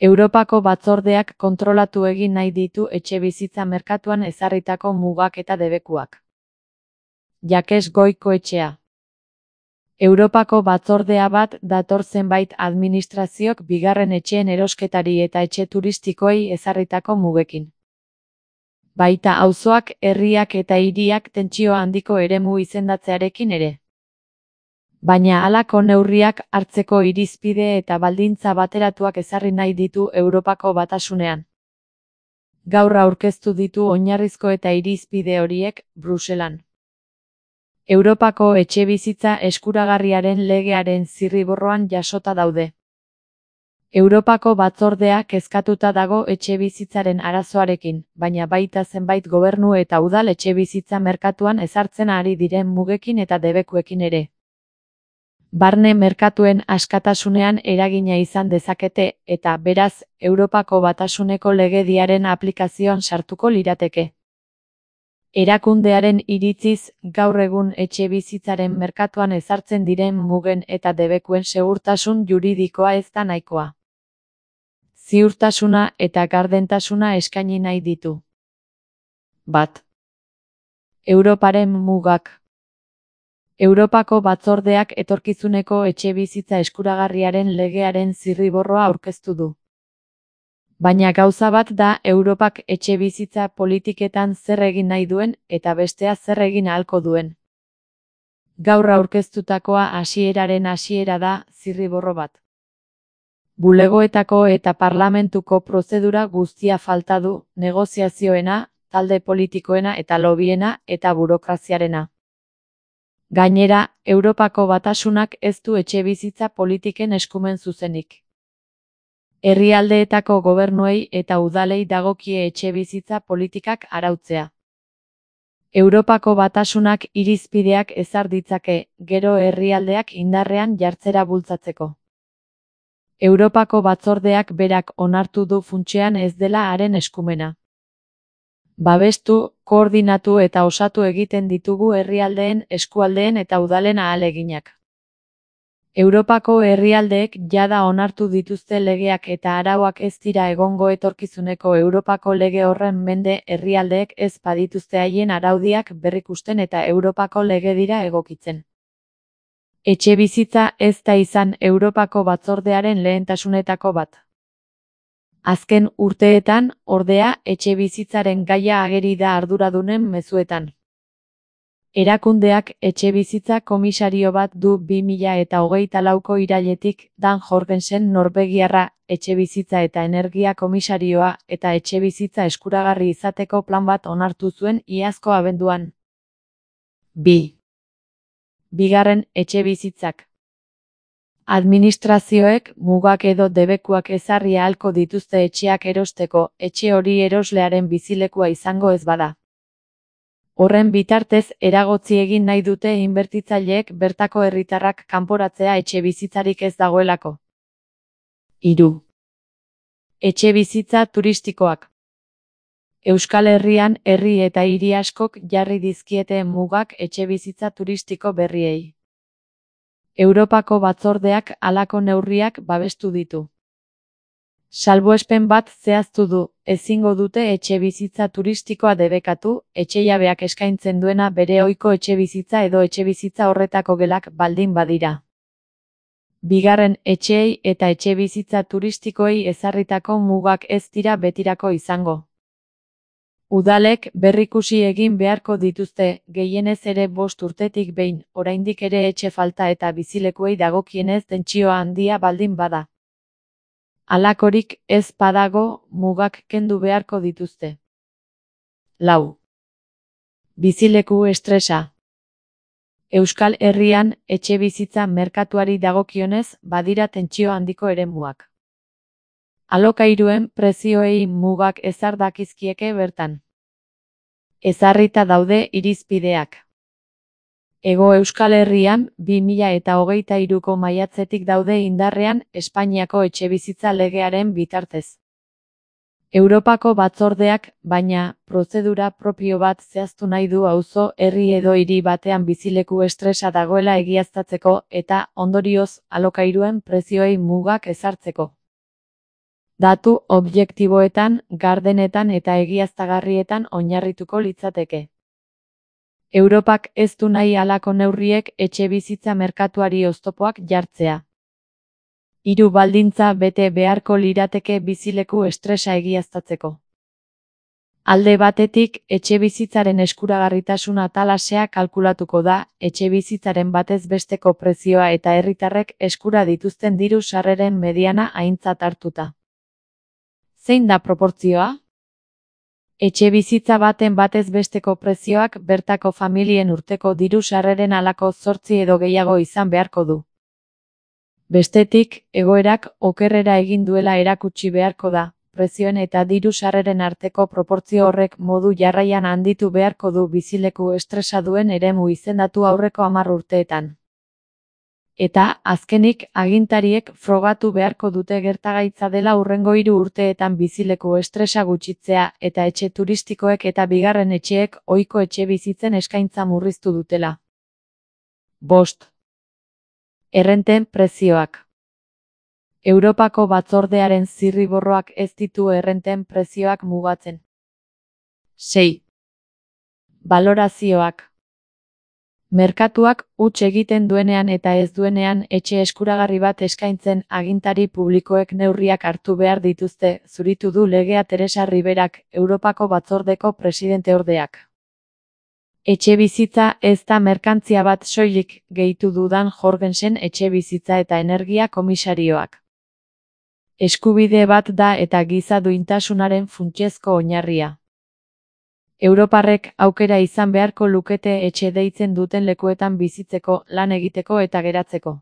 Europako batzordeak kontrolatu egin nahi ditu etxebizitza merkatuan ezarritako mugak eta debekuak. Jakes Goikoetxea. Europako batzordea bat dator zenbait administraziok bigarren etxeen erosketari eta etxe turistikoei ezarritako mugekin. Baita auzoak, herriak eta hiriak tentsio handiko eremu izendatzearekin ere. Baina halako neurriak hartzeko irizpide eta baldintza bateratuak ezarri nahi ditu Europako Batasunean. Gaur aurkeztu ditu oinarrizko eta irizpide horiek Bruselan. Europako etxebizitza eskuragarriaren legearen zirriborroan jasota daude. Europako batzordea kezkatuta dago etxebizitzaren arazoarekin, baina baita zenbait gobernu eta udal etxebizitza merkatuan ezartzen ari diren mugekin eta debekuekin ere. Barne merkatuen askatasunean eragina izan dezakete, eta beraz, Europako Batasuneko legediaren aplikazioan sartuko lirateke. Erakundearen iritziz, gaur egun etxebizitzaren merkatuan ezartzen diren mugen eta debekuen segurtasun juridikoa ez da nahikoa. Ziurtasuna eta gardentasuna eskaini nahi ditu. Bat. Europaren mugak. Europako batzordeak etorkizuneko etxebizitza eskuragarriaren legearen zirriborroa aurkeztu du. Baina gauza bat da Europak etxebizitza politiketan zer egin nahi duen eta bestea zer egin ahalko duen. Gaur aurkeztutakoa hasieraren hasiera da zirriborro bat. Bulegoetako eta parlamentuko prozedura guztia falta du, negoziazioena, talde politikoena eta lobiena eta burokraziarena. Gainera, Europako Batasunak ez du etxebizitza politiken eskumen zuzenik. Herrialdeetako gobernuei eta udalei dagokie etxebizitza politikak arautzea. Europako Batasunak irizpideak ezar ditzake, gero herrialdeak indarrean jartzera bultzatzeko. Europako batzordeak berak onartu du funtsean ez dela haren eskumena. Babestu, koordinatu eta osatu egiten ditugu herrialdeen, eskualdeen eta udalen ahaleginak. Europako herrialdeek jada onartu dituzte legeak eta arauak ez dira egongo etorkizuneko Europako lege horren mende herrialdeek ez badituzte haien araudiak berrikusten eta Europako legedira egokitzen. Etxebizitza ez da izan Europako batzordearen lehentasunetako bat. Azken urteetan, ordea, etxebizitzaren gaia ageri da arduradunen mezuetan. Erakundeak etxebizitza komisario bat du 2024ko irailetik, Dan Jorgensen Norvegiarra, etxebizitza eta energia komisarioa eta etxebizitza eskuragarri izateko plan bat onartu zuen iazko abenduan. 2. Bigarren etxebizitzak. Administrazioek mugak edo debekuak ezarri ahalko dituzte etxeak erosteko, etxe hori eroslearen bizilekua izango ez bada. Horren bitartez eragotzi egin nahi dute inbertitzaileek bertako herritarrak kanporatzea etxebizitzarik ez dagoelako. 3. Etxebizitza turistikoak. Euskal Herrian herri eta hiri askok jarri dizkiete mugak etxebizitza turistiko berriei. Europako batzordeak halako neurriak babestu ditu. Salbuespen bat zehaztu du, ezingo dute etxebizitza turistikoa debekatu, etxejabeak eskaintzen duena bere ohiko etxebizitza edo etxebizitza horretako gelak baldin badira. Bigarren etxeei eta etxebizitza turistikoei ezarritako mugak ez dira betirako izango. Udalek berrikusi egin beharko dituzte, gehienez ere 5 urtetik behin, oraindik ere etxe falta eta bizilekuei dagokienez tentsio handia baldin bada. Halakorik ez badago, mugak kendu beharko dituzte. 4. Bizileku estresa. Euskal Herrian, etxebizitza merkatuari dagokionez, badira tentsio handiko eremuak. Alokairuen prezioei mugak ezar dakizkieke bertan. Ezarrita daude irizpideak. Hego Euskal Herrian, 2023ko maiatzetik daude indarrean Espainiako etxebizitza legearen bitartez. Europako batzordeak, baina, prozedura propio bat zehaztu nahi du auzo, herri edo hiri batean bizileku estresa dagoela egiaztatzeko eta, ondorioz, alokairuen prezioei mugak ezartzeko. Datu objektiboetan, gardenetan eta egiaztagarrietan oinarrituko litzateke. Europak ez du nahi halako neurriek etxebizitza merkatuari oztopoak jartzea. 3 baldintza bete beharko lirateke bizileku estresa egiaztatzeko. Alde batetik, etxebizitzaren eskuragarritasun atalasea kalkulatuko da, etxebizitzaren batez besteko prezioa eta herritarrek eskura dituzten diru sarreren mediana aintzat hartuta. Zein da proportzioa? Etxebizitza baten batez besteko prezioak bertako familien urteko diru sarreren halako 8 edo gehiago izan beharko du. Bestetik, egoerak okerrera egin duela erakutsi beharko da, prezioen eta diru sarreren arteko proportzio horrek modu jarraian handitu beharko du bizileku estresa duen eremu izendatu aurreko 10 urteetan. Eta, azkenik, agintariek frogatu beharko dute gertagaitza dela hurrengo 3 urteetan bizileku estresa gutxitzea eta etxe turistikoek eta bigarren etxeek ohiko etxebizitzen eskaintza murriztu dutela. 5. Errenten prezioak. Europako batzordearen zirriborroak ez ditu errenten prezioak mugatzen. 6. Balorazioak. Merkatuak huts egiten duenean eta ez duenean etxe eskuragarri bat eskaintzen agintari publikoek neurriak hartu behar dituzte, zuritu du legea Teresa Riberak, Europako batzordeko presidenteordeak. Etxebizitza ez da merkantzia bat soilik, gehitu du Dan Jorgensen etxebizitza eta energia komisarioak. Eskubide bat da eta giza duintasunaren funtsezko oinarria. Europarrek aukera izan beharko lukete etxe deitzen duten lekuetan bizitzeko, lan egiteko eta geratzeko.